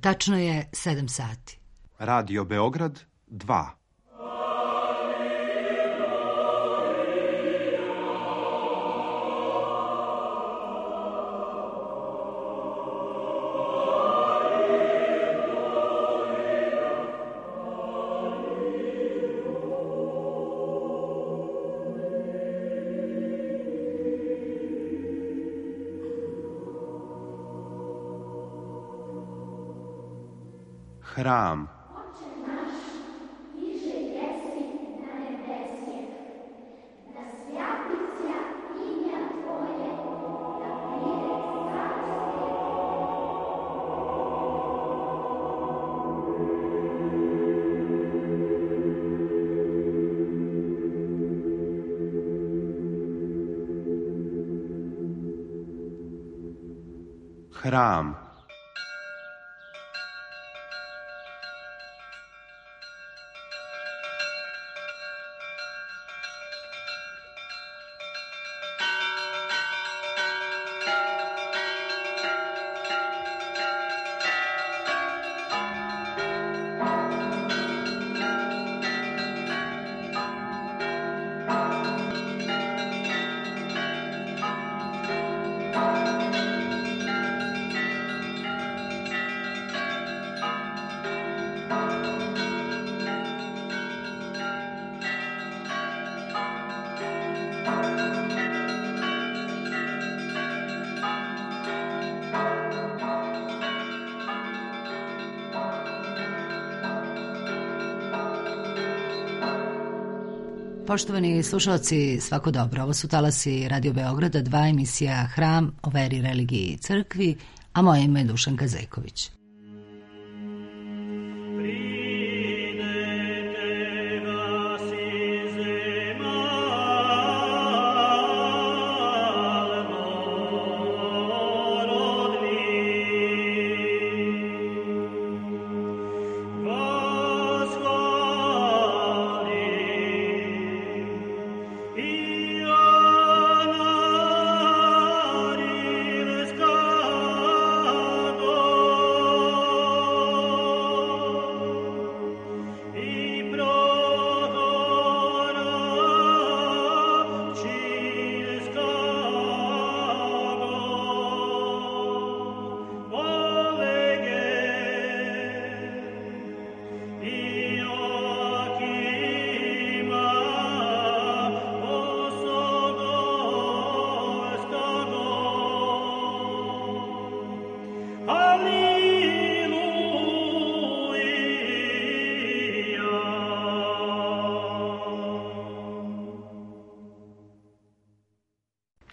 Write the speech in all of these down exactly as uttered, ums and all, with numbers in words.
Tačno je sedam sati. Radio Beograd dva. Hram. Hram. Poštovani slušalci, svako dobro. Ovo su talasi Radio Beograda, dva, emisija Hram o veri, religiji i crkvi, a moje ime je Dušanka Zeković.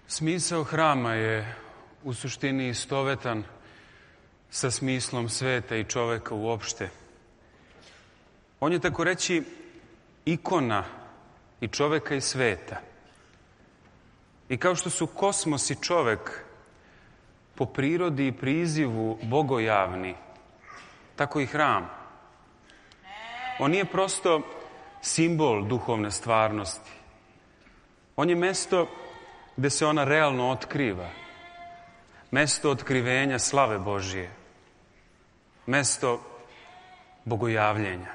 Smisao hrama je u suštini istovetan sa smislom sveta i čoveka uopšte. On je, tako reći, ikona i čoveka i sveta. I kao što su kosmos i čovek po prirodi i prizivu bogojavni, tako i hram. On nije prosto simbol duhovne stvarnosti. On je mesto gde se ona realno otkriva. Mesto otkrivenja slave Božije. Mesto bogojavljenja.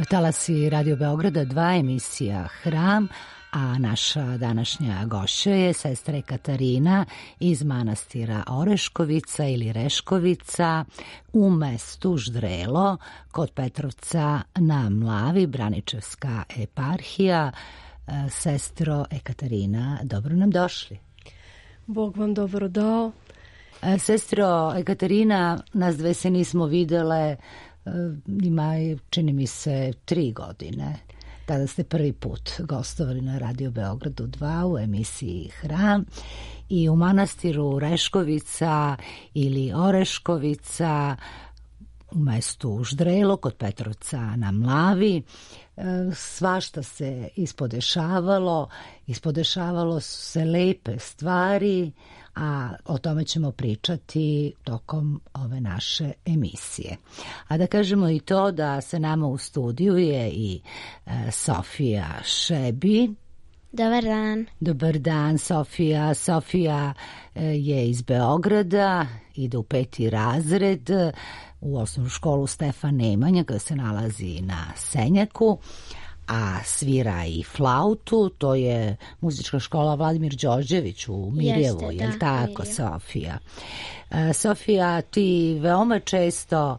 Talasi Radio Beograda dva, emisija Hram, a naša današnja gošća je sestra Ekaterina iz manastira Oreškovica ili Reškovica u mestu Ždrelo kod Petrovca na Mlavi, Braničevska eparhija. Sestro Ekaterina, dobro nam došli. Bog vam dobro dao. Sestro Ekaterina, nas dve se nismo videle, ima, čini mi se, tri godine. Tada ste prvi put gostovali na Radio Beogradu dva u emisiji Hram i u manastiru Reškovica ili Oreškovica u mestu Ždrelo kod Petrovca na Mlavi. Svašta se ispodešavalo, ispodešavalo su se lepe stvari, a o tome ćemo pričati tokom ove naše emisije. A da kažemo i to da se nama u studiju je i e, Sofija Šebi. Dobar dan. Dobar dan, Sofija. Sofija je iz Beograda, ide u peti razred u osnovnu školu Stefan Nemanja koja se nalazi na Senjaku, a svira i flautu. To je muzička škola Vladimir Đorđević u Mirjevu, Jeste, je li da, tako, Mirjevo. Sofija? Sofija, ti veoma često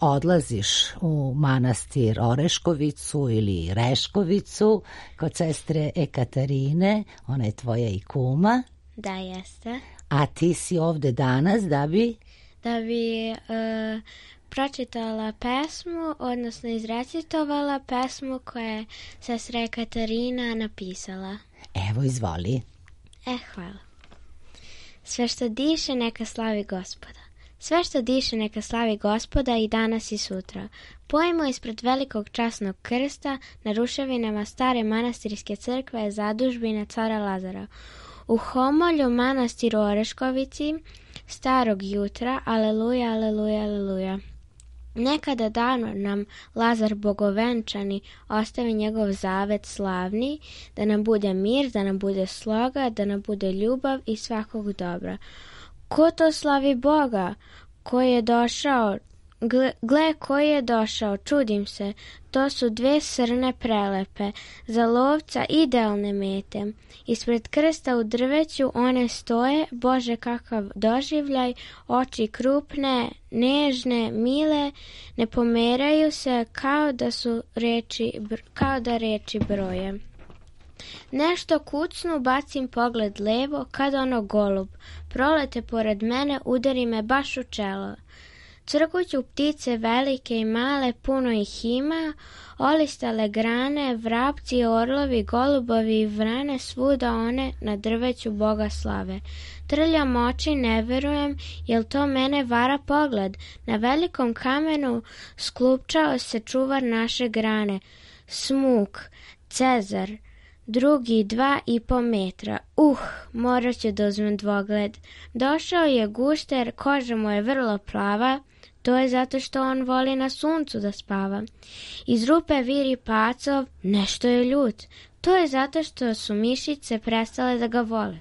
odlaziš u manastir Oreškovicu ili Reškovicu kod sestre Ekaterine, ona je tvoja i kuma. Da, jeste. A ti si ovde danas da bi... Da bi uh, pročitala pesmu, odnosno izrecitovala pesmu koju je sestra Ekaterina napisala. Evo, izvoli. E, hvala. Sve što diše neka slavi Gospoda. Sve što diše neka slavi Gospoda i danas i sutra. Pojmo ispred velikog časnog krsta na ruševinama stare manastirske crkve zadužbine cara Lazara. U Homolju, manastiru Oreškovici, starog jutra, aleluja, aleluja, aleluja. Nekada davno nam Lazar bogovenčani ostavi njegov zavet slavni, da nam bude mir, da nam bude sloga, da nam bude ljubav i svakog dobra. Ko to slavi Boga? Ko je došao? Gle, gle koji je došao, čudim se, to su dve srne prelepe, za lovca idealne mete. Ispred krsta u drveću one stoje, Bože kakav doživljaj, oči krupne, nežne, mile, ne pomeraju se kao da su reči, kao da reči broje. Nešto kucnu, bacim pogled levo, kad ono golub, prolete pored mene, udari me baš u čelo. Crkuću ptice velike i male, puno ih ima, olistale grane, vrapci, orlovi, golubovi i vrane, svuda one na drveću Boga slave. Trljam oči, ne verujem, jel to mene vara pogled? Na velikom kamenu sklupčao se čuvar naše grane, smuk, Cezar, drugi dva i po metra. Uh, morat ću da uzmem dvogled. Došao je gušter, koža mu je vrlo plava, to je zato što on voli na suncu da spava. Iz rupe viri pacov, nešto je ljut, to je zato što su mišice prestale da ga vole.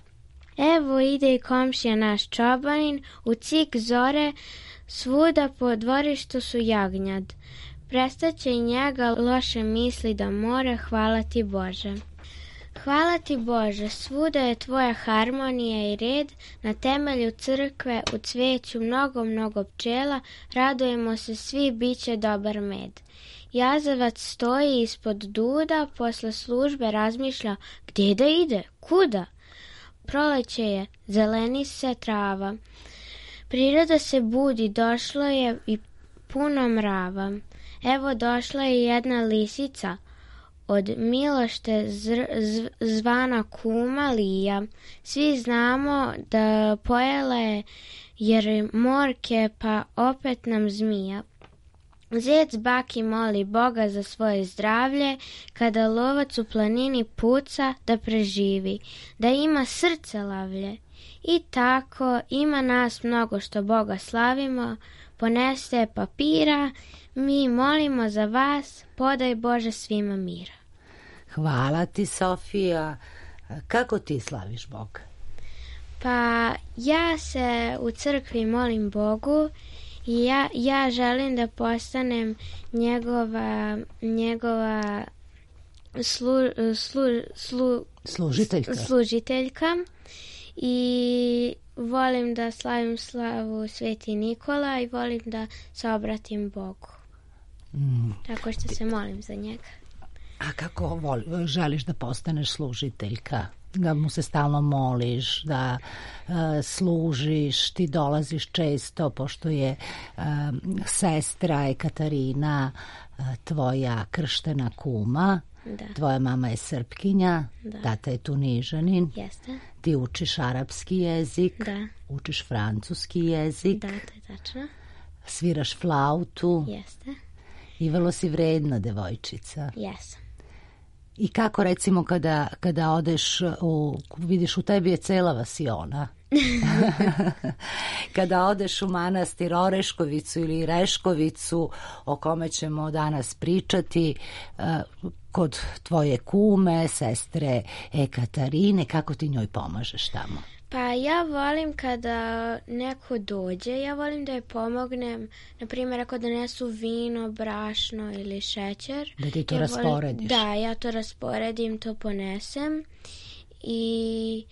Evo ide i komšija naš čobanin, u cik zore, svuda po dvorištu su jagnjad. Prestaće i njega loše misli da more, hvala ti Bože. Hvala ti Bože, svuda je tvoja harmonija i red, na temelju crkve u cveću mnogo, mnogo pčela, radujemo se svi, bit će dobar med. Jazavac stoji ispod duda, posle službe razmišlja, gdje da ide, kuda? Proleće je, zeleni se trava. Priroda se budi, došlo je i puno mrava. Evo došla je jedna lisica, od Milošte zr, zv, zvana kuma Lija. Svi znamo da pojela je jer morke, pa opet nam zmija. Zec baki moli Boga za svoje zdravlje, kada lovac u planini puca da preživi, da ima srce lavlje. I tako ima nas mnogo što Boga slavimo, poneste papira, mi molimo za vas, podaj Bože svima mira. Hvala ti, Sofija. Kako ti slaviš Boga? Pa ja se u crkvi molim Bogu i ja, ja želim da postanem njegova, njegova slu, slu, slu, služiteljka. služiteljka i volim da slavim slavu Sveti Nikola i volim da se obratim Bogu. Mm. Tako što se molim za njega. A kako voli, želiš da postaneš služiteljka? Da mu se stalno moliš, da uh, služiš, ti dolaziš često, pošto je uh, sestra Ekaterina uh, tvoja krštena kuma, da. Tvoja mama je Srpkinja, da. Tata je Tunižanin, jeste. Ti učiš arapski jezik, da. Učiš francuski jezik, da, to je tačno. Sviraš flautu, jeste. I vrlo si vredna devojčica. Jesam. I kako recimo kada, kada odeš, u, vidiš u tebi je cela vasiona. Kada odeš u manastir Oreškovicu ili Reškovicu, o kome ćemo danas pričati, kod tvoje kume, sestre Ekaterine, kako ti njoj pomažeš tamo? Pa ja volim kada neko dođe, ja volim da joj pomognem, na primjer ako donesu vino, brašno ili šećer. Da ti to ja rasporediš? Volim, da, ja to rasporedim, to ponesem i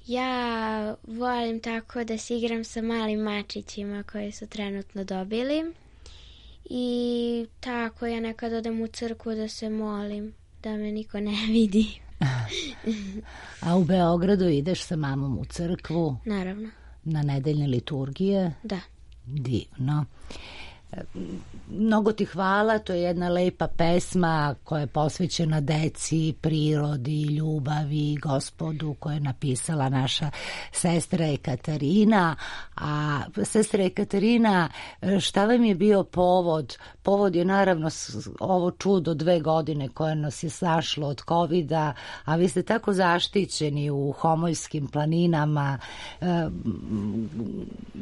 ja volim tako da se igram sa malim mačićima koji su trenutno dobili i tako ja nekad odem u crkvu da se molim, da me niko ne vidi. A u Beogradu ideš sa mamom u crkvu? Naravno. Na nedeljne liturgije? Da. Divno. Mnogo ti hvala, to je jedna lepa pesma koja je posvećena deci, prirodi, ljubavi, Gospodu, koju je napisala naša sestra Ekaterina. A sestra Ekaterina, šta vam je bio povod? Povod je naravno ovo čudo dve godine koje nas je snašlo od kovida, a vi ste tako zaštićeni u Homoljskim planinama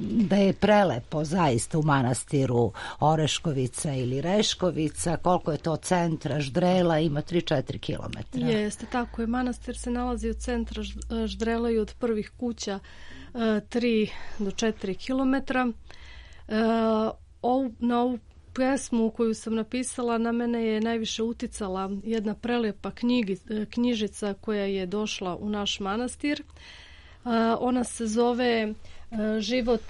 da je prelepo zaista u manastiru Oreškovica ili Reškovica, koliko je to centra Ždrela, ima tri do četiri kilometra. Jeste, tako je. Manastir se nalazi od centra Ždrela i od prvih kuća tri do četiri kilometra. Na ovu pesmu koju sam napisala na mene je najviše uticala jedna prelepa knjigi, knjižica koja je došla u naš manastir. Ona se zove Život,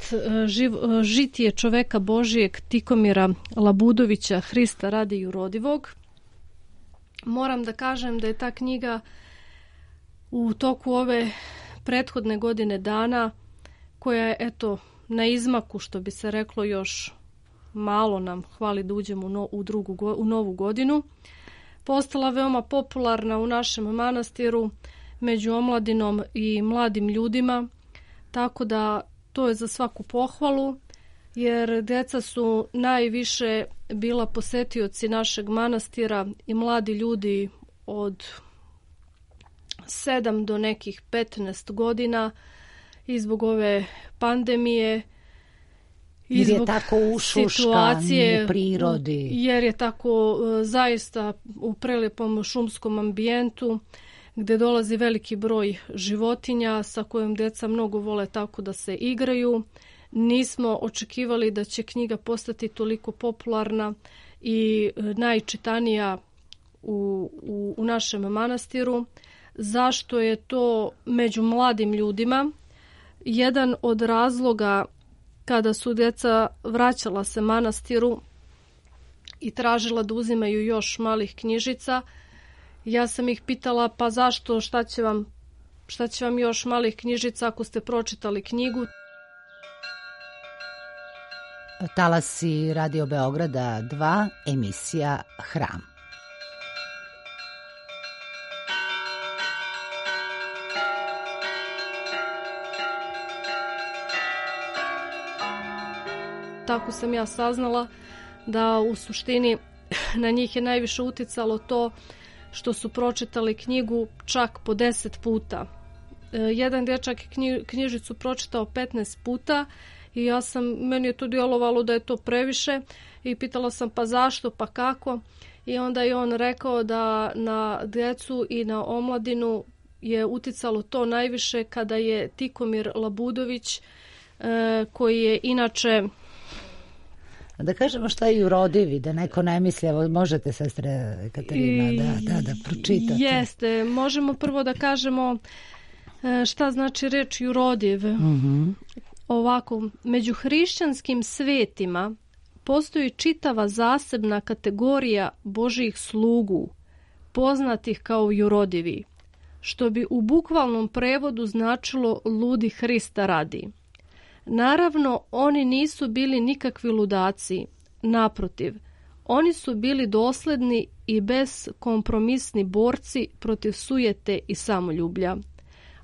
živ, žitije čoveka Božijeg Tikomira Labudovića, Hrista radi jurodivog. Moram da kažem da je ta knjiga u toku ove prethodne godine dana, koja je eto na izmaku, što bi se reklo, još malo nam hvali da uđemo u, no, u, drugu, u novu godinu, postala veoma popularna u našem manastiru među omladinom i mladim ljudima, tako da to je za svaku pohvalu, jer deca su najviše bila posetioci našeg manastira i mladi ljudi od sedam do nekih petnaest godina i zbog ove pandemije i jer je zbog tako ušuškan u prirodi. Jer je tako zaista u prelepom šumskom ambijentu gdje dolazi veliki broj životinja sa kojom deca mnogo vole tako da se igraju. Nismo očekivali da će knjiga postati toliko popularna i najčitanija u, u, u našem manastiru. Zašto je to među mladim ljudima? Jedan od razloga kada su deca vraćala se manastiru i tražila da uzimaju još malih knjižica, ja sam ih pitala pa zašto, šta će vam, šta će vam još malih knjižica ako ste pročitali knjigu? Talasi Radio Beograda dva, emisija Hram. Tako sam ja saznala da u suštini na njih je najviše uticalo to što su pročitali knjigu čak po deset puta. Jedan dječak je knjižicu pročitao petnaest puta i ja sam, meni je to djelovalo da je to previše i pitala sam pa zašto, pa kako, i onda je on rekao da na djecu i na omladinu je uticalo to najviše kada je Tikomir Labudović, koji je inače... Da kažemo šta je jurodivi, da neko ne misli, evo možete, sestre Katarina, da, da, da pročitate. Jeste, možemo prvo da kažemo šta znači reč jurodiv. Mm-hmm. Ovako, među hrišćanskim svetima postoji čitava zasebna kategorija Božjih slugu, poznatih kao jurodivi, što bi u bukvalnom prevodu značilo ludi Hrista radi. Naravno, oni nisu bili nikakvi ludaci, naprotiv, oni su bili dosledni i bezkompromisni borci protiv sujete i samoljublja,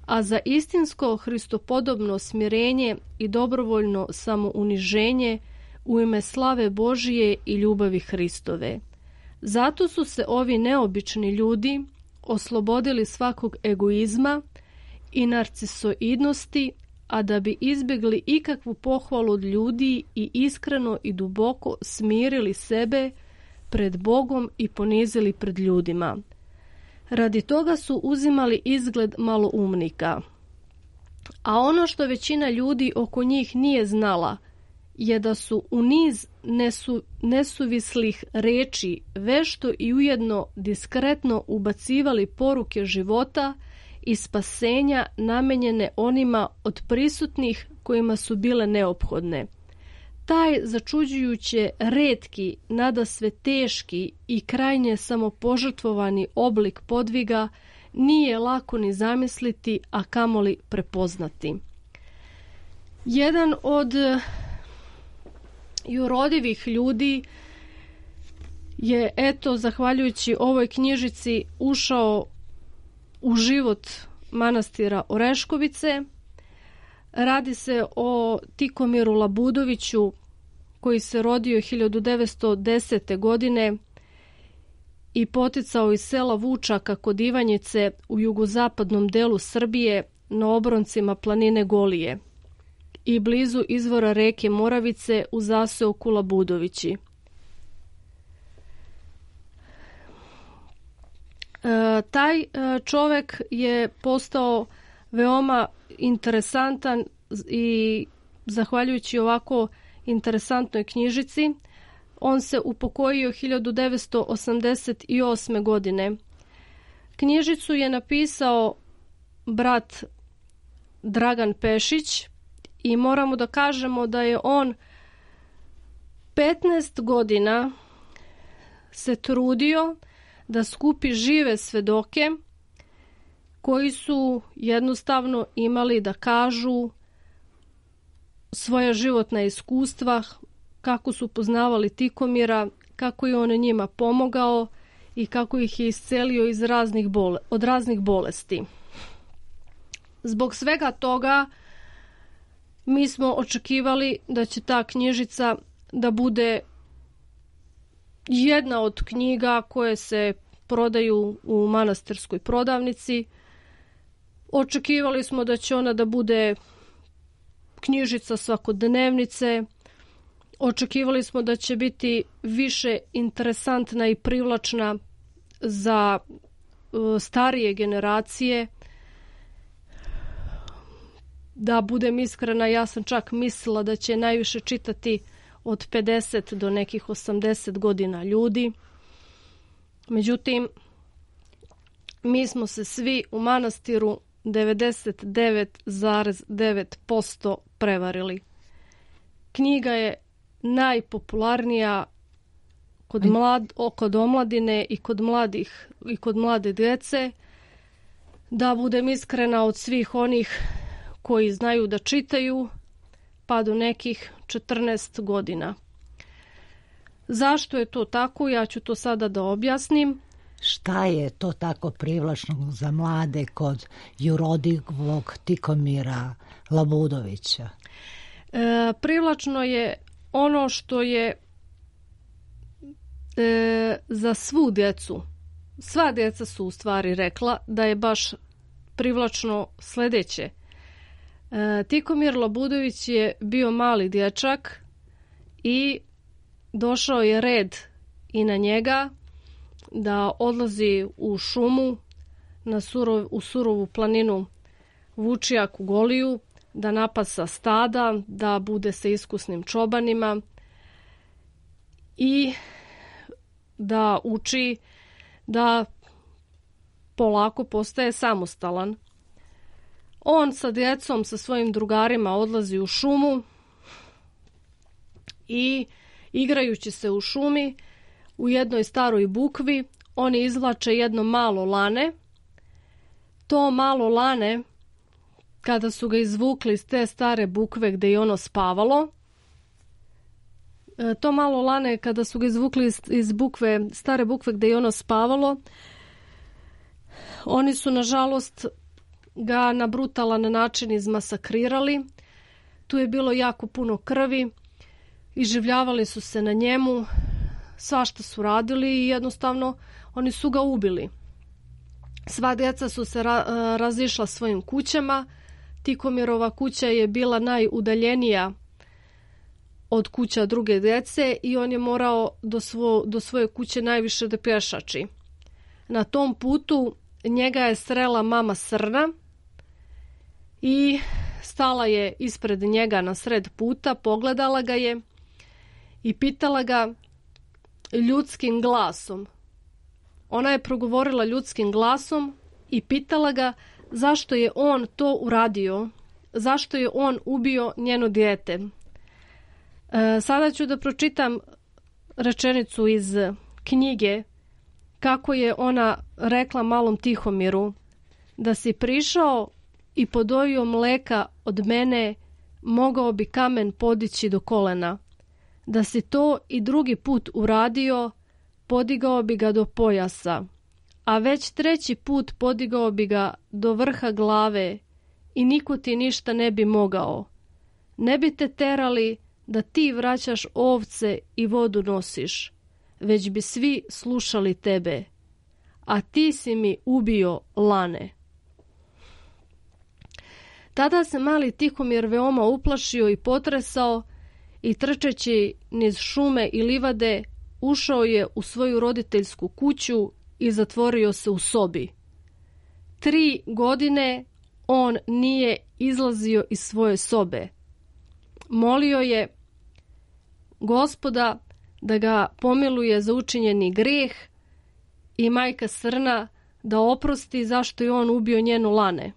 a za istinsko hristopodobno smirenje i dobrovoljno samouniženje u ime slave Božije i ljubavi Hristove. Zato su se ovi neobični ljudi oslobodili svakog egoizma i narcisoidnosti, a da bi izbjegli ikakvu pohvalu od ljudi i iskreno i duboko smirili sebe pred Bogom i ponizili pred ljudima. Radi toga su uzimali izgled maloumnika. A ono što većina ljudi oko njih nije znala je da su u niz nesu, nesuvislih reči vešto i ujedno diskretno ubacivali poruke života i spasenja namenjene onima od prisutnih kojima su bile neophodne. Taj začuđujuće retki, nadasve teški i krajnje samopožrtvovani oblik podviga nije lako ni zamisliti, a kamoli prepoznati. Jedan od jurodivih ljudi je, eto, zahvaljujući ovoj knjižici ušao u život manastira Oreškovice. Radi se o Tikomiru Labudoviću koji se rodio hiljadu devetsto desete. godine i poticao iz sela Vučaka kod Ivanjice u jugozapadnom delu Srbije na obroncima planine Golije i blizu izvora reke Moravice u zaseoku Labudovići. E, taj e, čovjek je postao veoma interesantan i zahvaljujući ovako interesantnoj knjižici, on se upokojio hiljadu devetsto osamdeset osme. godine. Knjižicu je napisao brat Dragan Pešić i moramo da kažemo da je on petnaest godina se trudio da skupi žive svedoke koji su jednostavno imali da kažu svoja životna iskustva, kako su poznavali Tikomira, kako je on njima pomogao i kako ih je iscelio iz raznih bole, od raznih bolesti. Zbog svega toga mi smo očekivali da će ta knjižica da bude jedna od knjiga koje se prodaju u manastirskoj prodavnici. Očekivali smo da će ona da bude knjižica svakodnevnice. Očekivali smo da će biti više interesantna i privlačna za uh, starije generacije. Da budem iskrena, ja sam čak mislila da će najviše čitati od pedeset do nekih osamdeset godina ljudi. Međutim, mi smo se svi u manastiru devedeset devet zarez devet posto prevarili. Knjiga je najpopularnija kod, mlad, kod omladine i kod mladih i kod mlade djece. Da budem iskrena, od svih onih koji znaju da čitaju pa do nekih četrnaest godina. Zašto je to tako? Ja ću to sada da objasnim. Šta je to tako privlačno za mlade kod jurodivog Tikomira Labudovića? E, privlačno je ono što je e, za svu djecu, sva djeca su u stvari rekla da je baš privlačno sljedeće. E, Tikomir Labudović je bio mali dječak i došao je red i na njega da odlazi u šumu na surov, u surovu planinu Vučijak u Goliju, da napasa stada, da bude sa iskusnim čobanima i da uči da polako postaje samostalan. On sa djecom, sa svojim drugarima odlazi u šumu i igrajući se u šumi u jednoj staroj bukvi oni izvlače jedno malo lane. To malo lane, kada su ga izvukli iz te stare bukve gdje je ono spavalo, to malo lane kada su ga izvukli iz, iz bukve, stare bukve gdje je ono spavalo, oni su nažalost ga na brutalan način izmasakrirali. Tu je bilo jako puno krvi, iživljavali su se na njemu, svašta su radili i jednostavno oni su ga ubili. Sva djeca su se ra- razišla svojim kućama, Tihomirova kuća je bila najudaljenija od kuća druge djece i on je morao do, svo, do svoje kuće najviše da pješači. Na tom putu njega je srela mama Srna i stala je ispred njega na sred puta, pogledala ga je i pitala ga ljudskim glasom. Ona je progovorila ljudskim glasom i pitala ga zašto je on to uradio, zašto je on ubio njeno dijete. E, sada ću da pročitam rečenicu iz knjige kako je ona rekla malom Tihomiru: da si prišao i podojio mleka od mene, mogao bi kamen podići do kolena. Da si to i drugi put uradio, podigao bi ga do pojasa, a već treći put podigao bi ga do vrha glave i niko ti ništa ne bi mogao. Ne bi te terali da ti vraćaš ovce i vodu nosiš, već bi svi slušali tebe, a ti si mi ubio lane. Tada se mali Tihomir veoma uplašio i potresao i trčeći niz šume i livade ušao je u svoju roditeljsku kuću i zatvorio se u sobi. Tri godine on nije izlazio iz svoje sobe. Molio je Gospoda da ga pomiluje za učinjeni grijeh i majka Srna da oprosti zašto je on ubio njenu lane.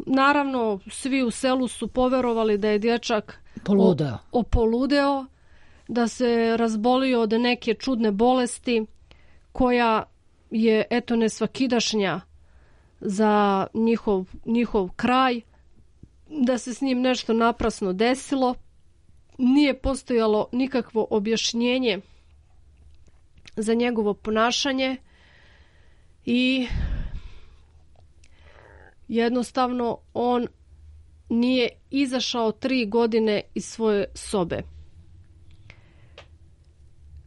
Naravno, svi u selu su poverovali da je dječak poludeo. opoludeo, da se razbolio od neke čudne bolesti koja je eto nesvakidašnja za njihov, njihov kraj, da se s njim nešto naprasno desilo. Nije postojalo nikakvo objašnjenje za njegovo ponašanje i jednostavno on nije izašao tri godine iz svoje sobe.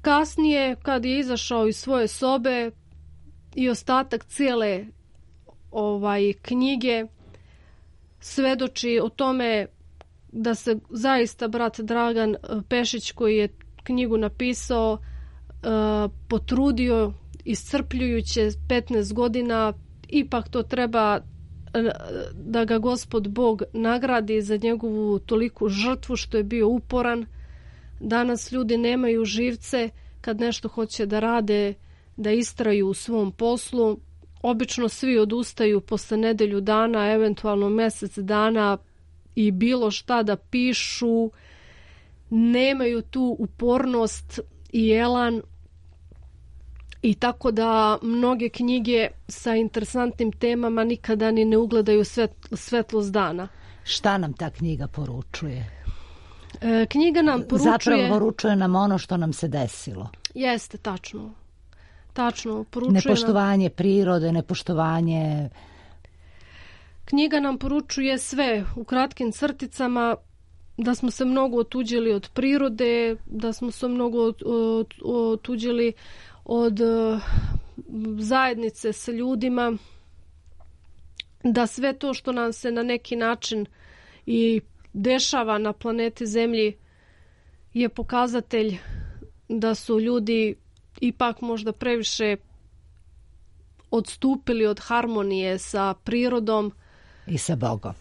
Kasnije, kad je izašao iz svoje sobe i ostatak cijele ovaj, knjige svedoči o tome da se zaista brat Dragan Pešić, koji je knjigu napisao, potrudio iscrpljujuće petnaest godina. Ipak to treba da ga Gospod Bog nagradi za njegovu toliku žrtvu što je bio uporan. Danas ljudi nemaju živce kad nešto hoće da rade, da istraju u svom poslu. Obično svi odustaju posle nedelju dana, eventualno mjesec dana i bilo šta da pišu. Nemaju tu upornost i elan. I tako da mnoge knjige sa interesantnim temama nikada ni ne ugledaju svet, svetlost dana. Šta nam ta knjiga poručuje? E, knjiga nam poručuje... Zapravo poručuje nam ono što nam se desilo. Jeste, tačno. Tačno, poručuje nepoštovanje nam... prirode, nepoštovanje... Knjiga nam poručuje sve u kratkim crticama, da smo se mnogo otuđili od prirode, da smo se mnogo otuđili od zajednice sa ljudima, da sve to što nam se na neki način i dešava na planeti Zemlji je pokazatelj da su ljudi ipak možda previše odstupili od harmonije sa prirodom i sa Bogom.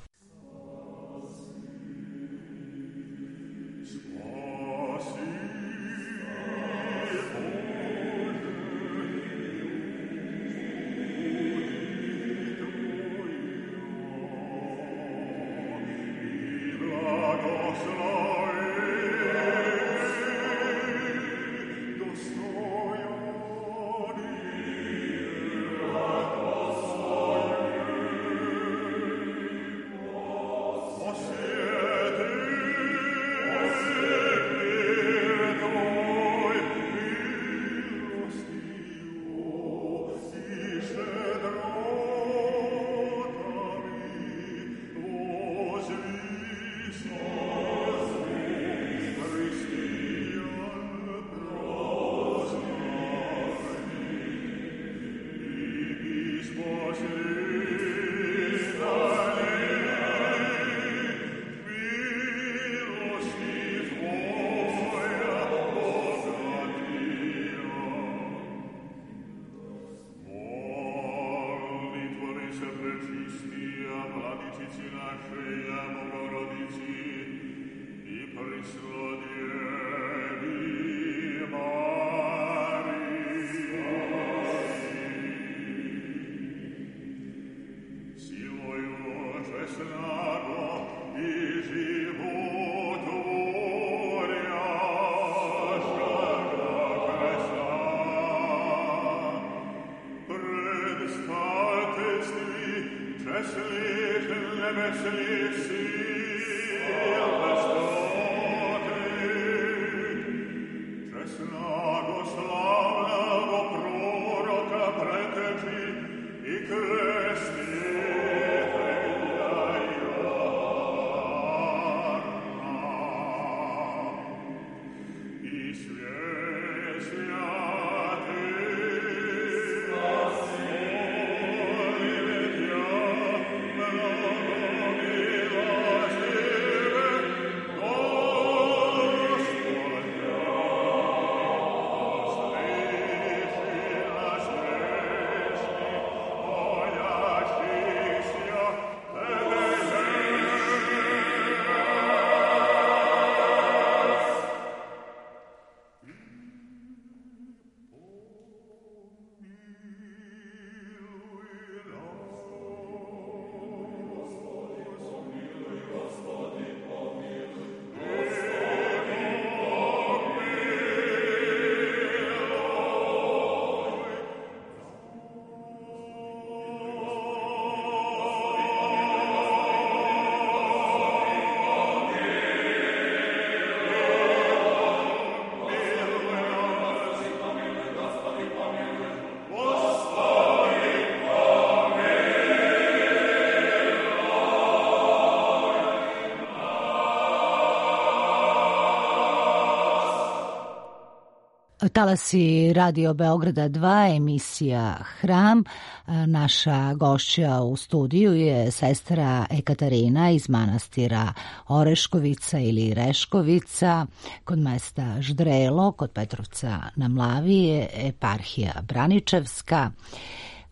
Talasi Radio Beograda dva, emisija Hram. Naša gošća u studiju je sestra Ekaterina iz manastira Oreškovica ili Reškovica kod mesta Ždrelo, kod Petrovca na Mlavi, eparhija Braničevska.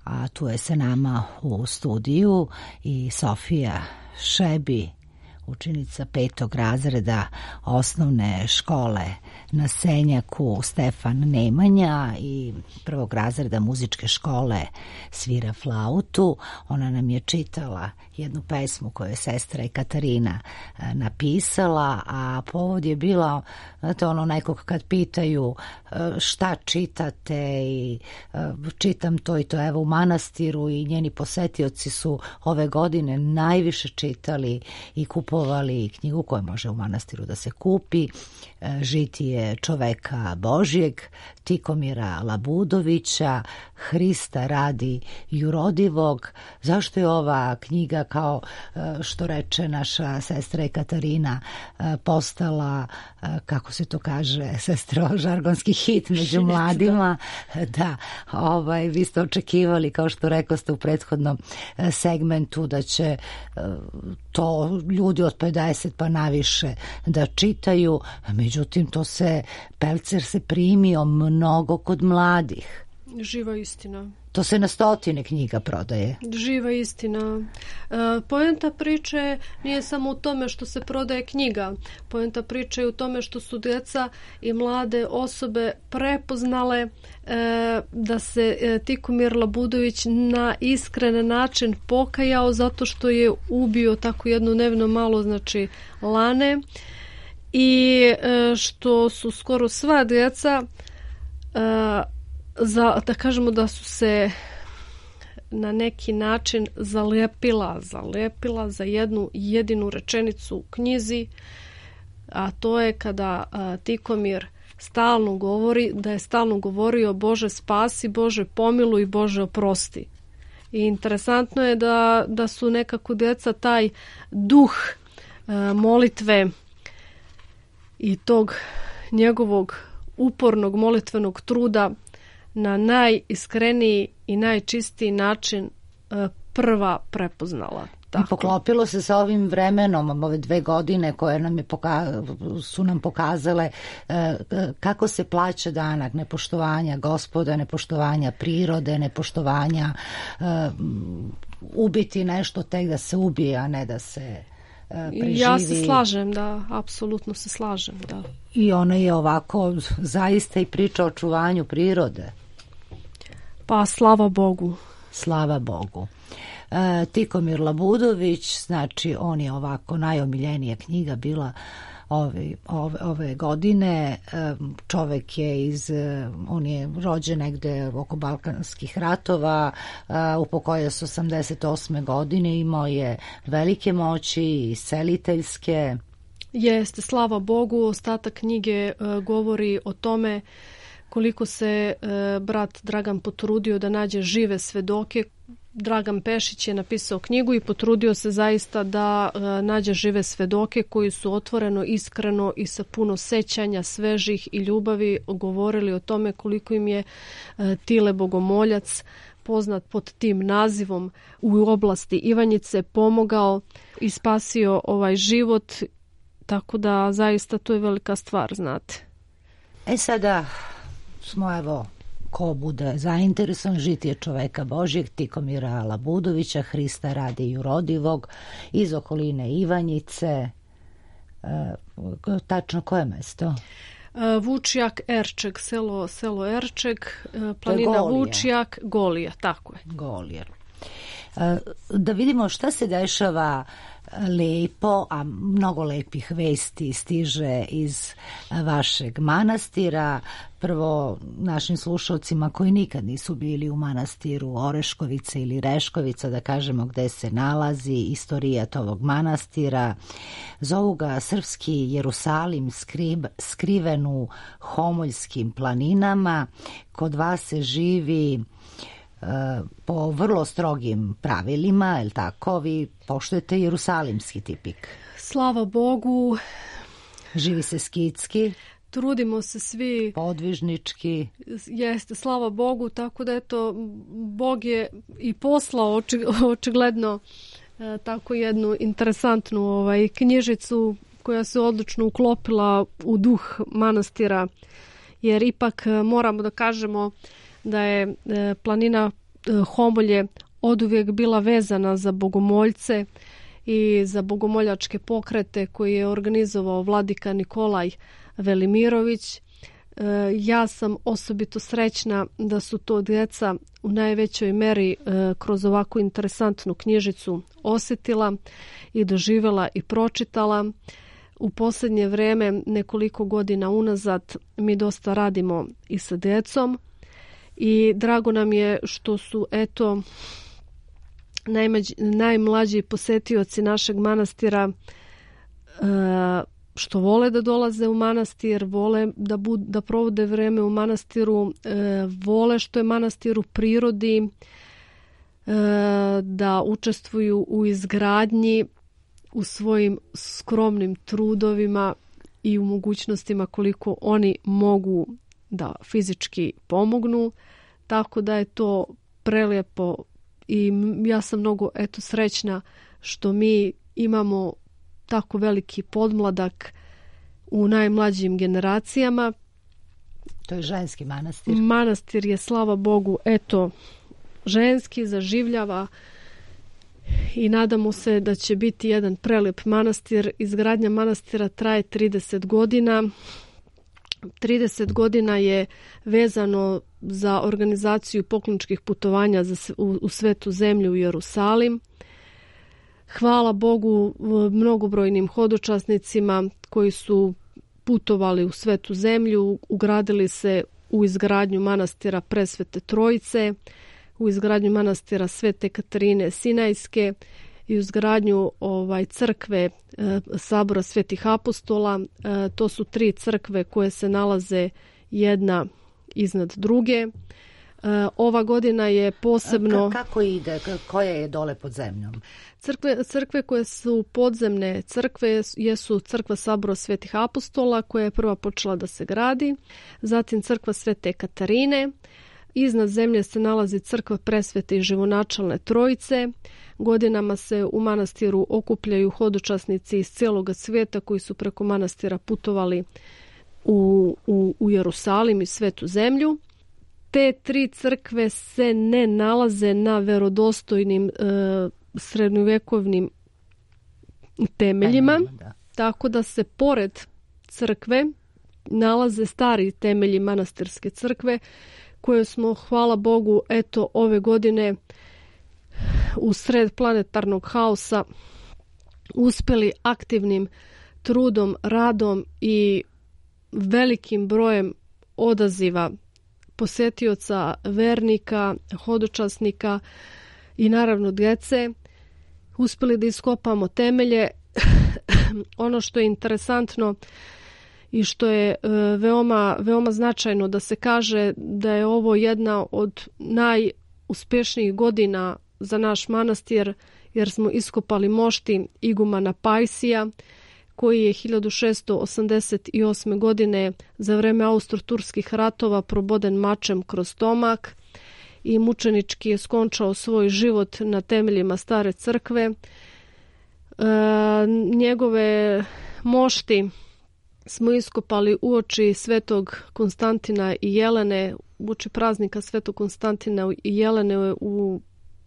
A tu je sa nama u studiju i Sofija Šebi, učenica petog razreda osnovne škole na Senjaku Stefan Nemanja i prvog razreda muzičke škole svira flautu. Ona nam je čitala jednu pesmu koju je sestra Ekaterina napisala, a povod je bila, znate, ono nekog kad pitaju šta čitate i čitam to i to, evo u manastiru, i njeni posetioci su ove godine najviše čitali i kupovali knjigu koja može u manastiru da se kupi, Žitije čoveka Božjeg, Tikomira Labudovića, Hrista radi jurodivog. Zašto je ova knjiga, kao što reče naša sestra Ekaterina, postala, kako se to kaže, sestro, žargonski hit među mladima? Da, ovaj, vi ste očekivali, kao što rekao ste u prethodnom segmentu, da će to ljudi od pedeset pa naviše da čitaju, međutim to se, Pelcer se primio mnogo kod mladih. Živa istina. To se na stotine knjiga prodaje. Živa istina. E, poenta priče nije samo u tome što se prodaje knjiga. Poenta priče je u tome što su djeca i mlade osobe prepoznale e, da se e, Tikomir Labudović na iskren način pokajao zato što je ubio tako jednu nevino malo, znači, lane, i e, što su skoro sva djeca e, za, da kažemo da su se na neki način zalepila, zalepila za jednu jedinu rečenicu u knjizi, a to je kada a, Tikomir stalno govori, da je stalno govorio Bože spasi, Bože pomiluj, Bože oprosti. I interesantno je da, da su nekako djeca taj duh a, molitve i tog njegovog upornog molitvenog truda na najiskreniji i najčistiji način prva prepoznala. Tako. I poklopilo se sa ovim vremenom, ove dve godine koje nam je poka- su nam pokazale e, kako se plaća danak nepoštovanja Gospoda, nepoštovanja prirode, nepoštovanja e, ubiti nešto tek da se ubije, a ne da se preživi. Ja se slažem, da, apsolutno se slažem, da. I ona je ovako zaista i priča o čuvanju prirode. Pa slava Bogu. Slava Bogu. E, Tikomir Labudović, znači on je ovako najomiljenija knjiga bila ove, ove, ove godine. E, čovek je iz, on je rođen negde oko Balkanskih ratova, e, upokojio se osamdeset osme godine, imao je velike moći, isceliteljske. Jeste, slava Bogu, ostatak knjige e, govori o tome koliko se e, brat Dragan potrudio da nađe žive svedoke. Dragan Pešić je napisao knjigu i potrudio se zaista da e, nađe žive svedoke koji su otvoreno, iskreno i sa puno sećanja, svežih i ljubavi govorili o tome koliko im je e, Tile Bogomoljac, poznat pod tim nazivom u oblasti Ivanjice, pomogao i spasio ovaj život, tako da zaista to je velika stvar, znate. E sada smo evo, ko bude zainteresovan, žitije čoveka Božjeg, Tikomira Labudovića, Hrista radi jurodivog, iz okoline Ivanjice. E, tačno koje mesto? Vučjak, Erčeg, selo, selo Erčeg, planina Vučjak, Golija, tako je. Golija. E, da vidimo šta se dešava lepo, a mnogo lepih vesti stiže iz vašeg manastira. Prvo našim slušalcima koji nikad nisu bili u manastiru Oreškovice ili Reškovica, da kažemo gde se nalazi istorijat ovog manastira. Zovu ga srpski Jerusalim, skrib, skriven u Homoljskim planinama. Kod vas se živi po vrlo strogim pravilima, je li tako? Vi poštujete jerusalimski tipik. Slava Bogu. Živi se skitski. Trudimo se svi. Podvižnički. Jeste, slava Bogu, tako da eto, Bog je i poslao oči, očigledno e, tako jednu interesantnu ovaj, knjižicu koja se odlično uklopila u duh manastira, jer ipak moramo da kažemo da je e, planina e, Homolje oduvijek bila vezana za bogomoljce i za bogomoljačke pokrete koje je organizovao vladika Nikolaj Velimirović. E, ja sam osobito srećna da su to djeca u najvećoj meri e, kroz ovakvu interesantnu knjižicu osjetila i doživjela i pročitala. U posljednje vrijeme, nekoliko godina unazad, mi dosta radimo i sa djecom. I drago nam je što su eto najmađi, najmlađi posetioci našeg manastira e, što vole da dolaze u manastir, vole da, bud, da provode vreme u manastiru, e, vole što je manastir u prirodi, e, da učestvuju u izgradnji, u svojim skromnim trudovima i u mogućnostima koliko oni mogu da fizički pomognu, tako da je to prelijepo i ja sam mnogo eto srećna što mi imamo tako veliki podmladak u najmlađim generacijama. To je ženski manastir. Manastir je, slava Bogu, eto ženski, zaživljava i nadamo se da će biti jedan prelijep manastir. Izgradnja manastira traje trideset godina. trideset godina je vezano za organizaciju pokloničkih putovanja za, u, u svetu zemlju u Jerusalim. Hvala Bogu mnogobrojnim hodočasnicima koji su putovali u svetu zemlju, ugradili se u izgradnju manastira Presvete Trojice, u izgradnju manastira Svete Katarine Sinajske i u izgradnju ovaj, crkve e, Sabora Svetih Apostola. E, to su tri crkve koje se nalaze jedna iznad druge. E, ova godina je posebno... K- kako ide? Koja je dole pod zemljom? Crkve, crkve koje su podzemne crkve jesu crkva Sabora Svetih Apostola koja je prva počela da se gradi, zatim crkva Svete Katarine, iznad zemlje se nalazi crkva Presvete i Živonačalne Trojice. Godinama se u manastiru okupljaju hodočasnici iz cijeloga svijeta koji su preko manastira putovali u, u, u Jerusalim i Svetu zemlju. te tri crkve se ne nalaze na verodostojnim e, srednjovekovnim temeljima, Da. tako da se pored crkve nalaze stari temelji manastirske crkve koje smo, hvala Bogu, eto ove godine u sred planetarnog haosa uspeli aktivnim trudom, radom i velikim brojem odaziva posetioca, vernika, hodočasnika i naravno djece uspeli da iskopamo temelje. Ono što je interesantno i što je e, veoma, veoma značajno da se kaže da je ovo jedna od najuspješnijih godina za naš manastir, jer smo iskopali mošti igumana Pajsija, koji je hiljadu šessto osamdeset osme. godine za vreme austro-turskih ratova proboden mačem kroz stomak i mučenički je skončao svoj život na temeljima stare crkve. E, njegove mošti smo iskopali uoči svetog Konstantina i Jelene, uoči praznika svetog Konstantina i Jelene u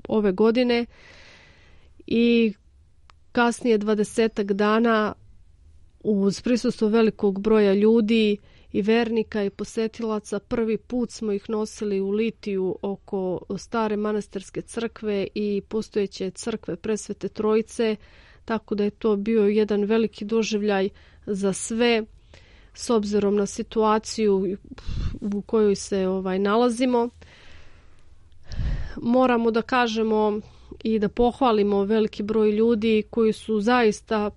ove godine i kasnije dvadesetak dana uz prisustvo velikog broja ljudi i vernika i posetilaca prvi put smo ih nosili u litiju oko stare manastirske crkve i postojeće crkve Presvete Trojice, tako da je to bio jedan veliki doživljaj za sve s obzirom na situaciju u kojoj se ovaj nalazimo. Moramo da kažemo i da pohvalimo veliki broj ljudi koji su zaista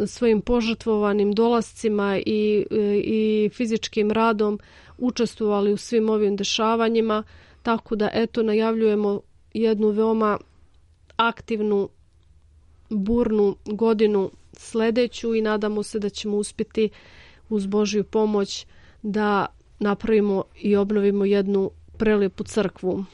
svojim požrtvovanim dolascima i, i fizičkim radom učestvovali u svim ovim dešavanjima, tako da eto najavljujemo jednu veoma aktivnu, burnu godinu sledeću i nadamo se da ćemo uspjeti uz Božju pomoć da napravimo i obnovimo jednu prelijepu crkvu.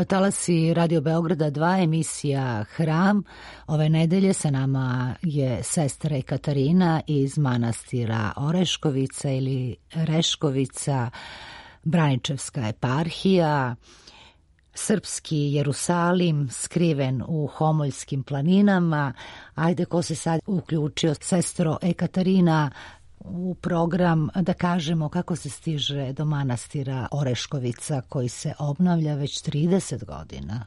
talasi Radio Beograda dva, emisija Hram. Ove nedelje sa nama je sestra Ekaterina iz manastira Oreškovica ili Reškovica, Braničevska eparhija, srpski Jerusalim skriven u Homoljskim planinama. Ajde, ko se sad uključio, sestro Ekaterina, u program, da kažemo kako se stiže do manastira Oreškovica koji se obnavlja već trideset godina.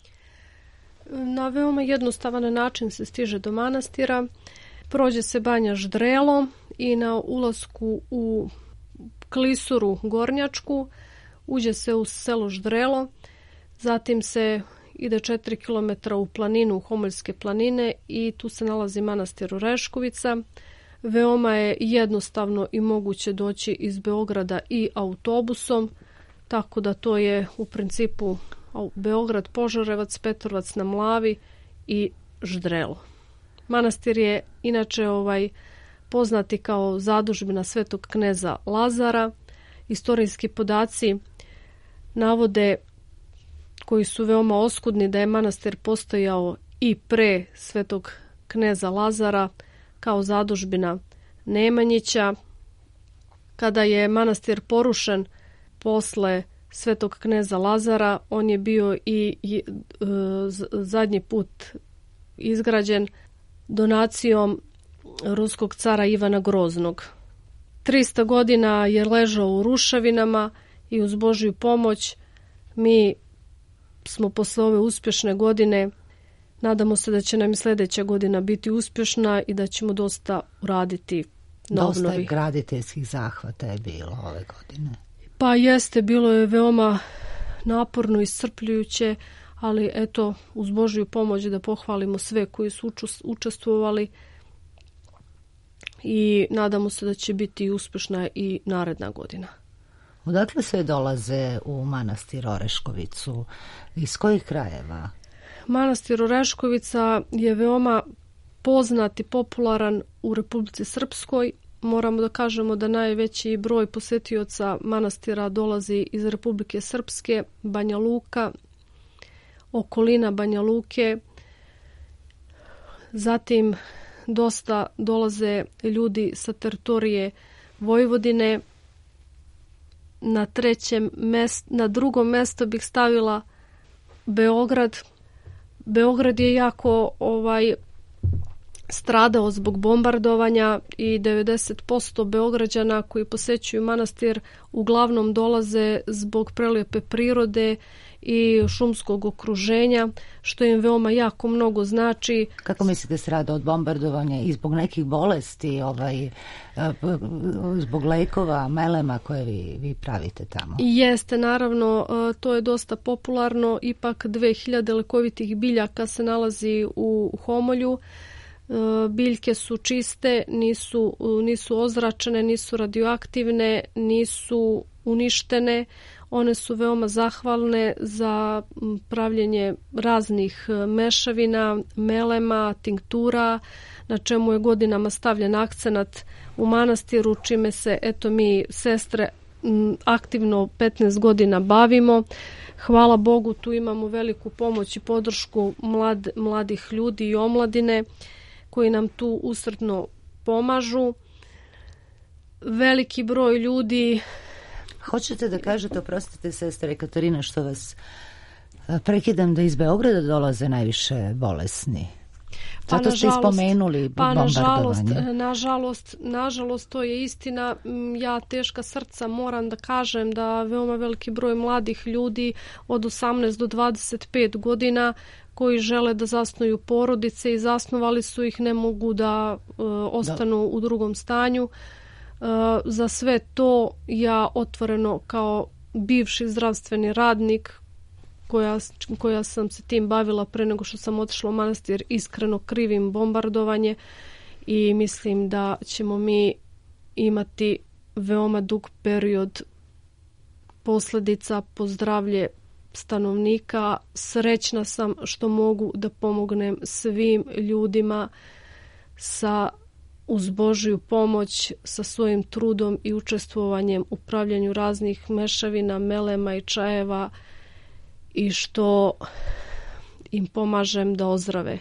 Na veoma jednostavan način se stiže do manastira. Prođe se Banja Ždrelo i na ulasku u klisuru Gornjačku uđe se u selo Ždrelo, zatim se ide četiri kilometra u planinu, u Homoljske planine, i tu se nalazi manastir Oreškovica. Veoma je jednostavno i moguće doći iz Beograda i autobusom, tako da to je u principu Beograd, Požarevac, Petrovac na Mlavi i Ždrelo. Manastir je inače ovaj poznati kao zadužbina svetog kneza Lazara. Istorijski podaci navode, koji su veoma oskudni, da je manastir postojao i pre svetog kneza Lazara kao zadužbina Nemanjića. Kada je manastir porušen posle svetog kneza Lazara, on je bio i, i e, zadnji put izgrađen donacijom ruskog cara Ivana Groznog. trista godina je ležao u ruševinama i uz Božju pomoć mi smo posle ove uspješne godine, nadamo se da će nam i sljedeća godina biti uspješna i da ćemo dosta uraditi na obnovi. Dosta graditeljskih zahvata je bilo ove godine. Pa jeste, bilo je veoma naporno i iscrpljujuće, ali eto, uz Božju pomoć da pohvalimo sve koji su učestvovali i nadamo se da će biti uspješna i naredna godina. Odakle sve dolaze u manastir Oreškovicu? Iz kojih krajeva? Manastir Oreškovica je veoma poznat i popularan u Republici Srpskoj. Moramo da kažemo da najveći broj posetioca manastira dolazi iz Republike Srpske, Banja Luka, okolina Banja Luke. Zatim dosta dolaze ljudi sa teritorije Vojvodine. Na trećem mjestu, na drugom mjestu bih stavila Beograd. Beograd je jako ovaj stradao zbog bombardovanja i devedeset posto Beograđana koji posećuju manastir uglavnom dolaze zbog prelijepe prirode i šumskog okruženja, što im veoma jako mnogo znači. Kako mislite strada od bombardovanja i zbog nekih bolesti, ovaj, zbog lekova, melema koje vi, vi pravite tamo? Jeste, naravno, to je dosta popularno. Ipak dve hiljade lekovitih biljaka se nalazi u Homolju. Biljke su čiste, nisu, nisu ozračene, nisu radioaktivne, nisu uništene. One su veoma zahvalne za pravljenje raznih mešavina, melema, tinktura, na čemu je godinama stavljen akcenat u manastiru, čime se eto mi sestre aktivno petnaest godina bavimo. Hvala Bogu, tu imamo veliku pomoć i podršku mlad, mladih ljudi i omladine koji nam tu usrdno pomažu. Veliki broj ljudi. Hoćete da kažete, oprostite sestre Ekaterina što vas prekidam, da iz Beograda dolaze najviše bolesni? Pa Zato ste spomenuli pa bombardovanje. Nažalost, nažalost, nažalost, to je istina. Ja teška srca moram da kažem da veoma veliki broj mladih ljudi od osamnaest do dvadeset pet godina koji žele da zasnuju porodice i zasnovali su ih, ne mogu da uh, ostanu da. u drugom stanju. Uh, za sve to ja otvoreno kao bivši zdravstveni radnik koja, koja sam se tim bavila pre nego što sam otišla u manastir, iskreno krivim bombardovanje i mislim da ćemo mi imati veoma dug period posljedica po zdravlje stanovnika. Srećna sam što mogu da pomognem svim ljudima sa uz Božju pomoć, sa svojim trudom i učestvovanjem u pravljanju raznih mešavina, melema i čajeva i što im pomažem da ozdrave.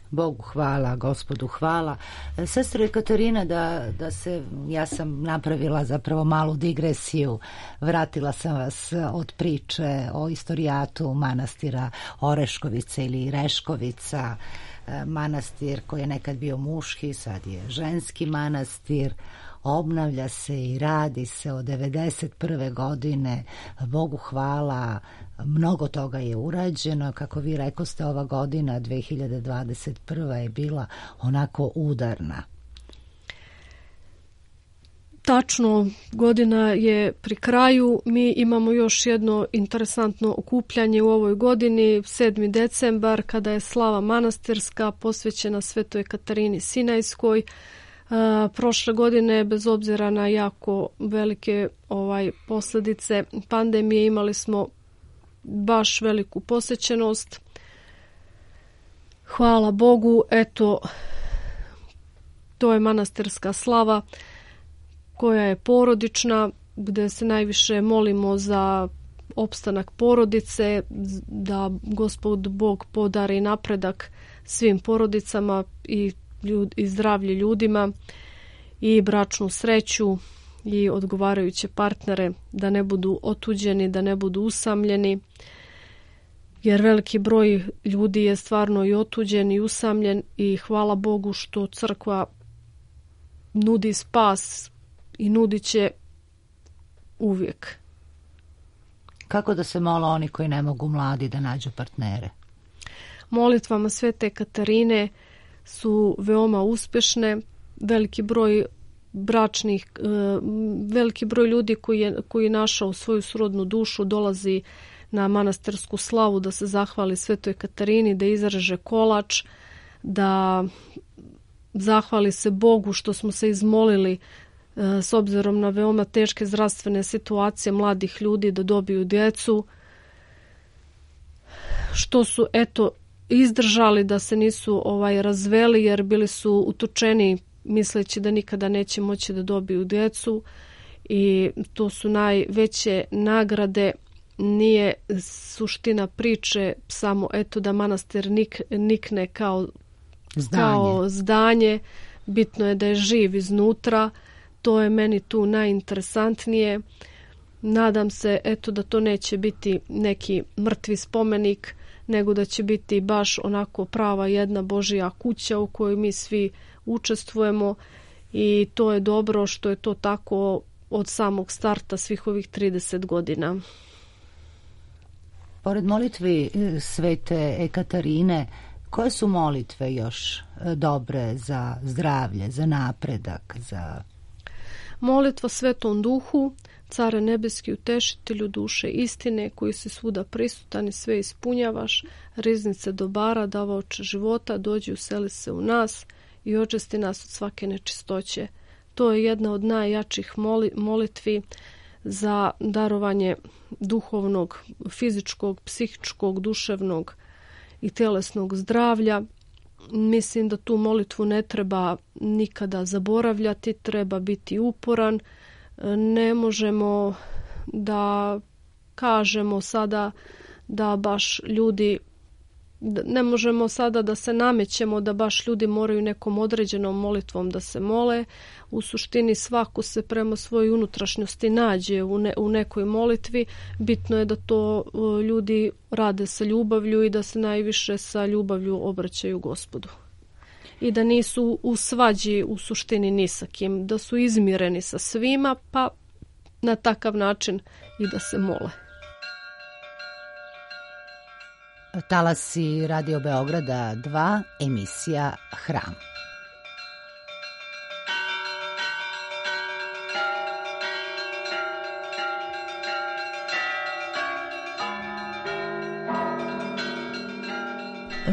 Bogu hvala, Gospodu hvala. Sestro Ekaterina, da, da se, ja sam napravila zapravo malu digresiju, vratila sam vas od priče o istorijatu manastira Oreškovice ili Reškovica, manastir koji je nekad bio muški, sad je ženski manastir, obnavlja se i radi se od devedeset prve godine, Bogu hvala, mnogo toga je urađeno, kako vi rekoste, ova godina dve hiljade dvadeset prva je bila onako udarna. Tačno, godina je pri kraju, mi imamo još jedno interesantno okupljanje u ovoj godini, sedmi decembar, kada je slava manastirska posvećena Svetoj Katarini Sinajskoj. Uh, prošle godine, bez obzira na jako velike ovaj posljedice pandemije, imali smo baš veliku posjećenost. Hvala Bogu, eto, to je manastirska slava koja je porodična, gdje se najviše molimo za opstanak porodice, da Gospod Bog podari napredak svim porodicama i Ljud, i zdravlje ljudima i bračnu sreću i odgovarajuće partnere, da ne budu otuđeni, da ne budu usamljeni, jer veliki broj ljudi je stvarno i otuđen i usamljen i hvala Bogu što crkva nudi spas i nudit će uvijek. Kako da se mole oni koji ne mogu mladi da nađu partnere? Molitvama Svete Katarine su veoma uspješne, veliki broj bračnih, veliki broj ljudi koji je, koji je našao svoju srodnu dušu dolazi na manastirsku slavu da se zahvali Svetoj Katarini, da izreže kolač, da zahvali se Bogu što smo se izmolili s obzirom na veoma teške zdravstvene situacije mladih ljudi da dobiju djecu, što su eto izdržali, da se nisu ovaj razveli jer bili su utučeni misleći da nikada neće moći da dobiju djecu i to su najveće nagrade. Nije suština priče samo eto da manastir nik, nikne kao zdanje. kao zdanje, bitno je da je živ iznutra, to je meni tu najinteresantnije. Nadam se eto da to neće biti neki mrtvi spomenik, nego da će biti baš onako prava jedna Božja kuća u kojoj mi svi učestvujemo i to je dobro što je to tako od samog starta svih ovih trideset godina. Pored molitvi Svete Ekaterine, koje su molitve još dobre za zdravlje, za napredak, za... Molitva Svetom Duhu, Care nebeski, utešitelju duše istine, koji si svuda prisutan i sve ispunjavaš, riznice dobara, davaoče života, dođi useli se u nas i očisti nas od svake nečistoće. To je jedna od najjačih moli, molitvi za darovanje duhovnog, fizičkog, psihičkog, duševnog i tjelesnog zdravlja. Mislim da tu molitvu ne treba nikada zaboravljati, treba biti uporan. Ne možemo da kažemo sada da baš ljudi, ne možemo sada da se namećemo da baš ljudi moraju nekom određenom molitvom da se mole. U suštini svako se prema svojoj unutrašnjosti nađe u, ne, u nekoj molitvi. Bitno je da to ljudi rade sa ljubavlju i da se najviše sa ljubavlju obraćaju Gospodu. I da nisu u svađi u suštini ni sa kim, da su izmireni sa svima, pa na takav način i da se mole. Talasi Radio Beograda dva, emisija Hram.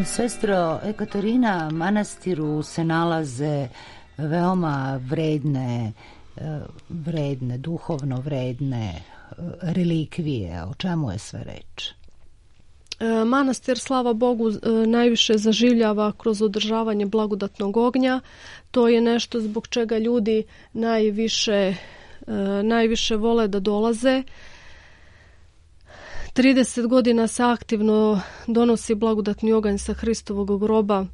Sestro Ekaterina, manastiru se nalaze veoma vredne, vredne, duhovno vredne relikvije. O čemu je sve reč? Manastir, slava Bogu, najviše zaživljava kroz održavanje blagodatnog ognja. To je nešto zbog čega ljudi najviše, najviše vole da dolaze. trideset godina se aktivno donosi blagodatni oganj sa Hristovog groba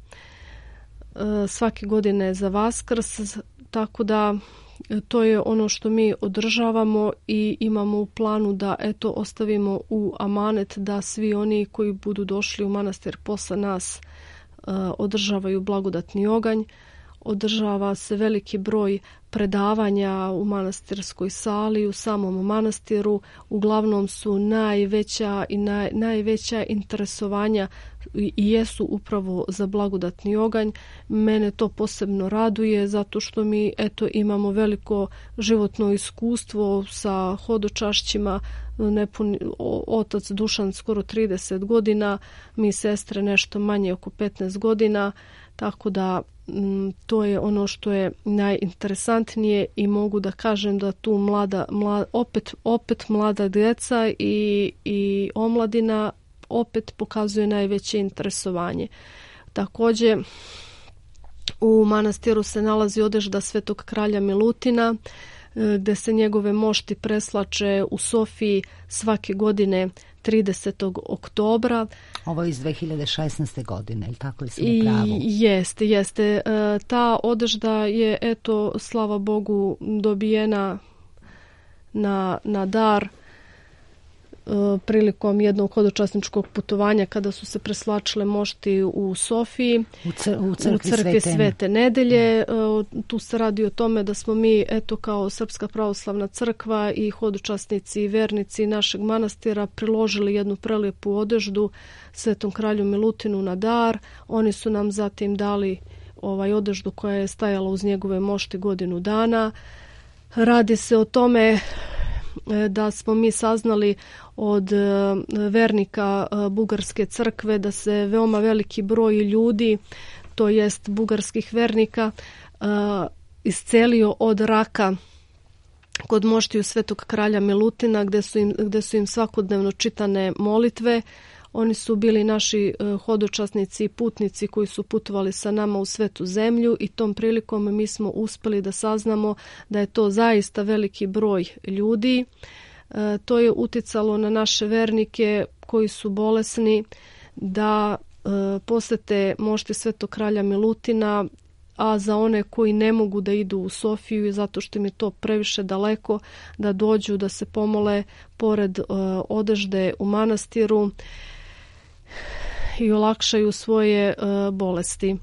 svake godine za Vaskrs, tako da to je ono što mi održavamo i imamo u planu da eto ostavimo u amanet da svi oni koji budu došli u manastir posle nas održavaju blagodatni oganj. Održava se veliki broj predavanja u manastirskoj sali, u samom manastiru. Uglavnom su najveća i naj, najveća interesovanja i jesu upravo za blagodatni oganj. Mene to posebno raduje zato što mi eto imamo veliko životno iskustvo sa hodočašćima. Nepun, otac Dušan skoro trideset godina, mi sestre nešto manje oko petnaest godina, tako da to je ono što je najinteresantnije i mogu da kažem da tu mlada, mlada opet, opet mlada djeca i, i omladina opet pokazuje najveće interesovanje. Također u manastiru se nalazi odežda Svetog kralja Milutina, gdje se njegove mošti preslače u Sofiji svake godine tridesetog oktobra. Ovo je iz dve hiljade šesnaeste. godine, ili tako li sam u pravu? Jeste, jeste. Ta odežda je, eto, slava Bogu, dobijena na, na dar prilikom jednog hodočasničkog putovanja kada su se preslačile mošti u Sofiji, u, cr u crkvi, u crkvi Svete, Svete Nedelje. Tu se radi o tome da smo mi, eto, kao Srpska pravoslavna crkva i hodočasnici i vernici našeg manastira priložili jednu prelijepu odeždu Svetom kralju Milutinu na dar. Oni su nam zatim dali ovaj odeždu koja je stajala uz njegove mošti godinu dana. Radi se o tome da smo mi saznali od vernika Bugarske crkve da se veoma veliki broj ljudi, to jest bugarskih vernika, iscelio od raka kod moštiju Svetog kralja Milutina, gdje su im, gdje su im svakodnevno čitane molitve. Oni su bili naši hodočasnici i putnici koji su putovali sa nama u Svetu zemlju i tom prilikom mi smo uspjeli da saznamo da je to zaista veliki broj ljudi. E, to je uticalo na naše vernike koji su bolesni da e, posete mošti Svetog kralja Milutina, a za one koji ne mogu da idu u Sofiju zato što im je to previše daleko, da dođu da se pomole pored e, odežde u manastiru i olakšaju svoje e, bolesti.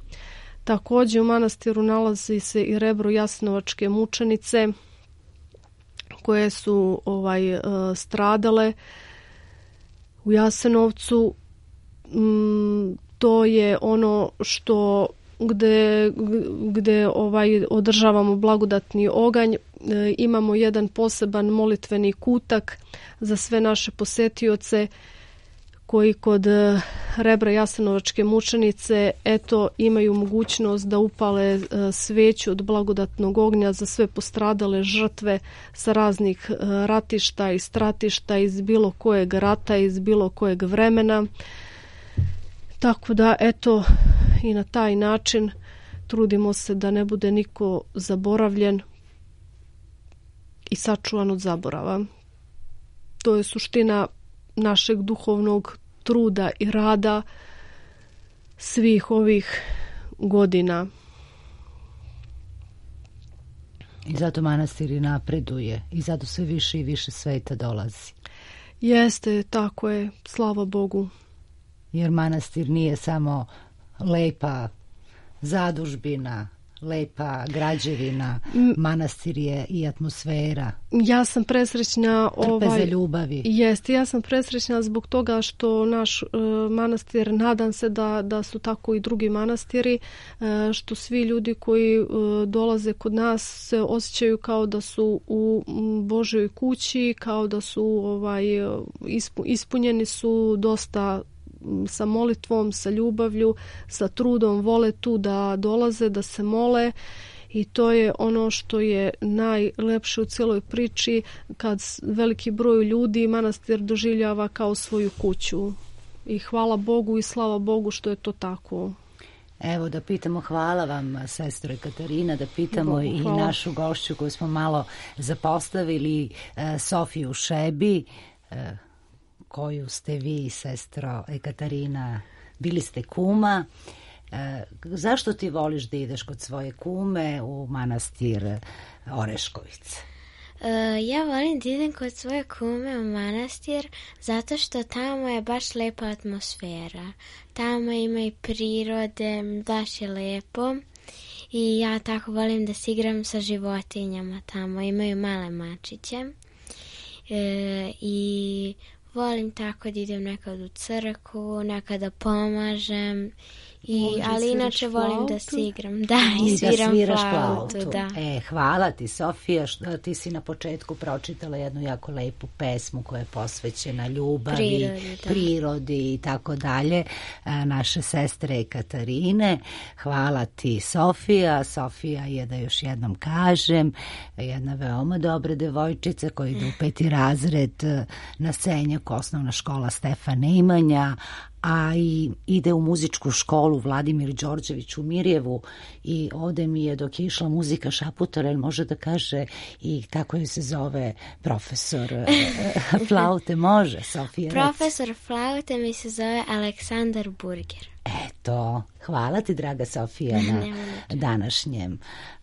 Također u manastiru nalazi se i rebro Jasenovačke mučenice koje su ovaj e, stradale u Jasenovcu. Mm, to je ono što gde, gde ovaj održavamo blagodatni oganj. E, imamo jedan poseban molitveni kutak za sve naše posetioce koji kod rebra Jasenovačke mučenice eto imaju mogućnost da upale sveću od blagodatnog ognja za sve postradale žrtve sa raznih ratišta i stratišta iz bilo kojeg rata, iz bilo kojeg vremena. Tako da eto i na taj način trudimo se da ne bude niko zaboravljen i sačuvan od zaborava. To je suština našeg duhovnog truda i rada svih ovih godina. I zato manastir i napreduje i zato sve više i više sveta dolazi. Jeste, tako je, slava Bogu. Jer manastir nije samo lepa zadužbina, lepa građevina, manastir je i atmosfera. Ja sam presrećna ovaj za ljubavi. Jeste, ja sam presrećna zbog toga što naš uh, manastir, nadam se da da su tako i drugi manastiri, uh, što svi ljudi koji uh, dolaze kod nas se osjećaju kao da su u Božjoj kući, kao da su ovaj ispu, ispunjeni su dosta sa molitvom, sa ljubavlju, sa trudom, vole tu da dolaze, da se mole i to je ono što je najlepše u cijeloj priči, kad veliki broj ljudi manastir doživljava kao svoju kuću. I hvala Bogu i slava Bogu što je to tako. Evo da pitamo, hvala vam sestro Katarina, da pitamo Bogu, i našu gošću koju smo malo zapostavili, Sofiju Šebi, koju ste vi, sestro Ekaterina, bili ste kuma. E, zašto ti voliš da ideš kod svoje kume u manastir Oreškovice? Uh, ja volim da idem kod svoje kume u manastir zato što tamo je baš lepa atmosfera. Tamo ima i prirode, baš je lepo i ja tako volim da se igram sa životinjama tamo. Imaju male mačiće uh, i volim tako da idem nekad u crkvu, nekad da pomažem. I, ali inače volim da se igram. Da, i, I sviram da sviraš flautu. flautu. Da. E, hvala ti, Sofija, što ti si na početku pročitala jednu jako lepu pesmu koja je posvećena ljubavi, Prirodi, da. prirodi i tako dalje. Naše sestre Katarine. Hvala ti, Sofija. Sofija je, da još jednom kažem, jedna veoma dobra devojčica koja ide u peti razred na Senjak, osnovna škola Stefan Nemanja, a i ide u muzičku školu Vladimir Đorđević u Mirjevu i ovde mi je dok je išla muzika šaputala, jer može da kaže i kako joj se zove profesor flaute, može, Sofija? Profesor flaute mi se zove Aleksandar Burger. Eto, hvala ti, draga Sofija, na današnjem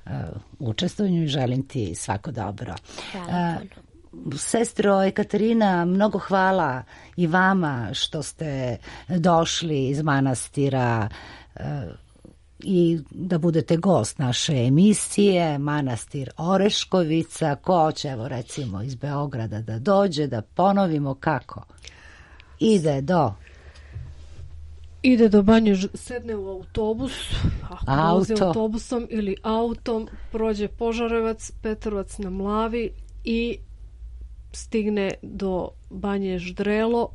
uh, učestvovanju i želim ti svako dobro. Hvala puno. Sestro Ekaterina, mnogo hvala i vama što ste došli iz manastira uh, i da budete gost naše emisije, manastir Oreškovica. Ko hoće, evo recimo iz Beograda da dođe, da ponovimo kako? Ide do... Ide do Banje, sedne u autobus, ako vozi Auto. autobusom ili autom, prođe Požarevac, Petrovac na Mlavi i stigne do Banje Ždrelo.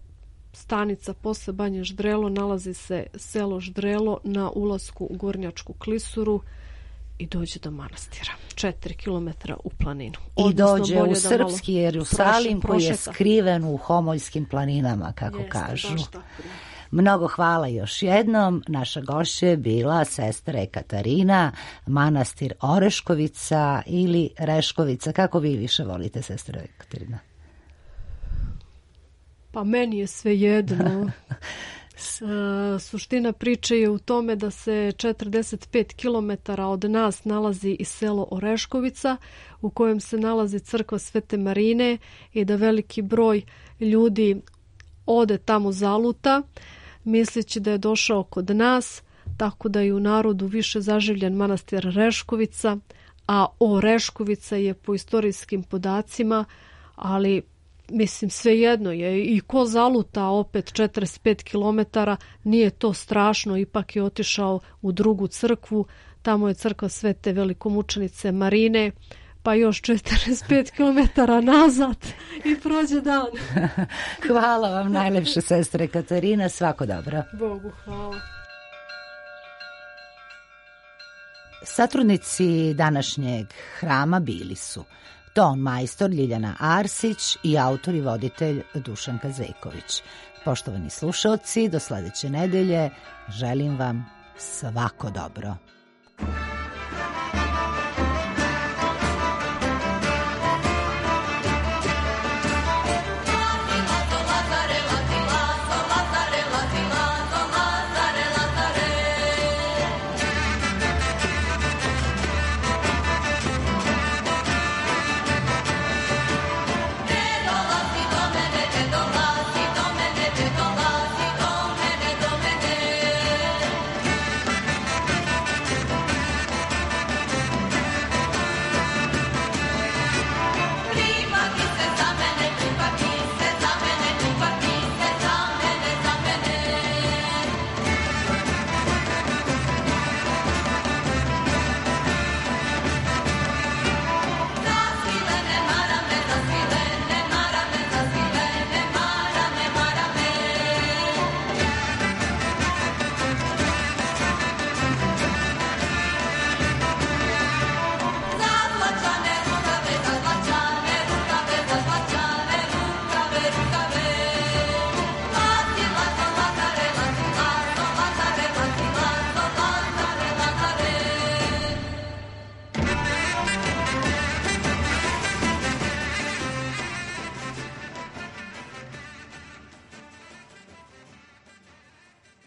Stanica posle Banje Ždrelo nalazi se selo Ždrelo na ulasku u Gornjačku klisuru i dođe do manastira. Četiri kilometra u planinu. I Odnosno, dođe u srpski Jerusalim proše, koji je prošeta. skriven u Homoljskim planinama, kako Jeste, kažu. baš tako. Mnogo hvala još jednom. Naša gošća je bila sestra Ekaterina, manastir Oreškovica ili Reškovica. Kako vi više volite, sestra Ekaterina? Pa meni je sve jedno. E, suština priče je u tome da se četrdeset pet kilometara od nas nalazi i selo Oreškovica u kojem se nalazi crkva Svete Marine i da veliki broj ljudi ode tamo zaluta misleći da je došao kod nas, tako da je u narodu više zaživljen manastir Reškovica, a Oreškovica je po istorijskim podacima, ali mislim svejedno je i ko zaluta opet četrdeset pet kilometara, nije to strašno, ipak je otišao u drugu crkvu, tamo je crkva Svete velikomučenice Marine, pa još četrdeset pet kilometara nazad i prođe dan. Hvala vam najlepše, sestre Katarina, svako dobro. Bogu hvala. Satrudnici današnjeg hrama bili su ton majstor Ljiljana Arsić i autor i voditelj Dušan Kazejković. Poštovani slušaoci, do sledeće nedelje želim vam svako dobro.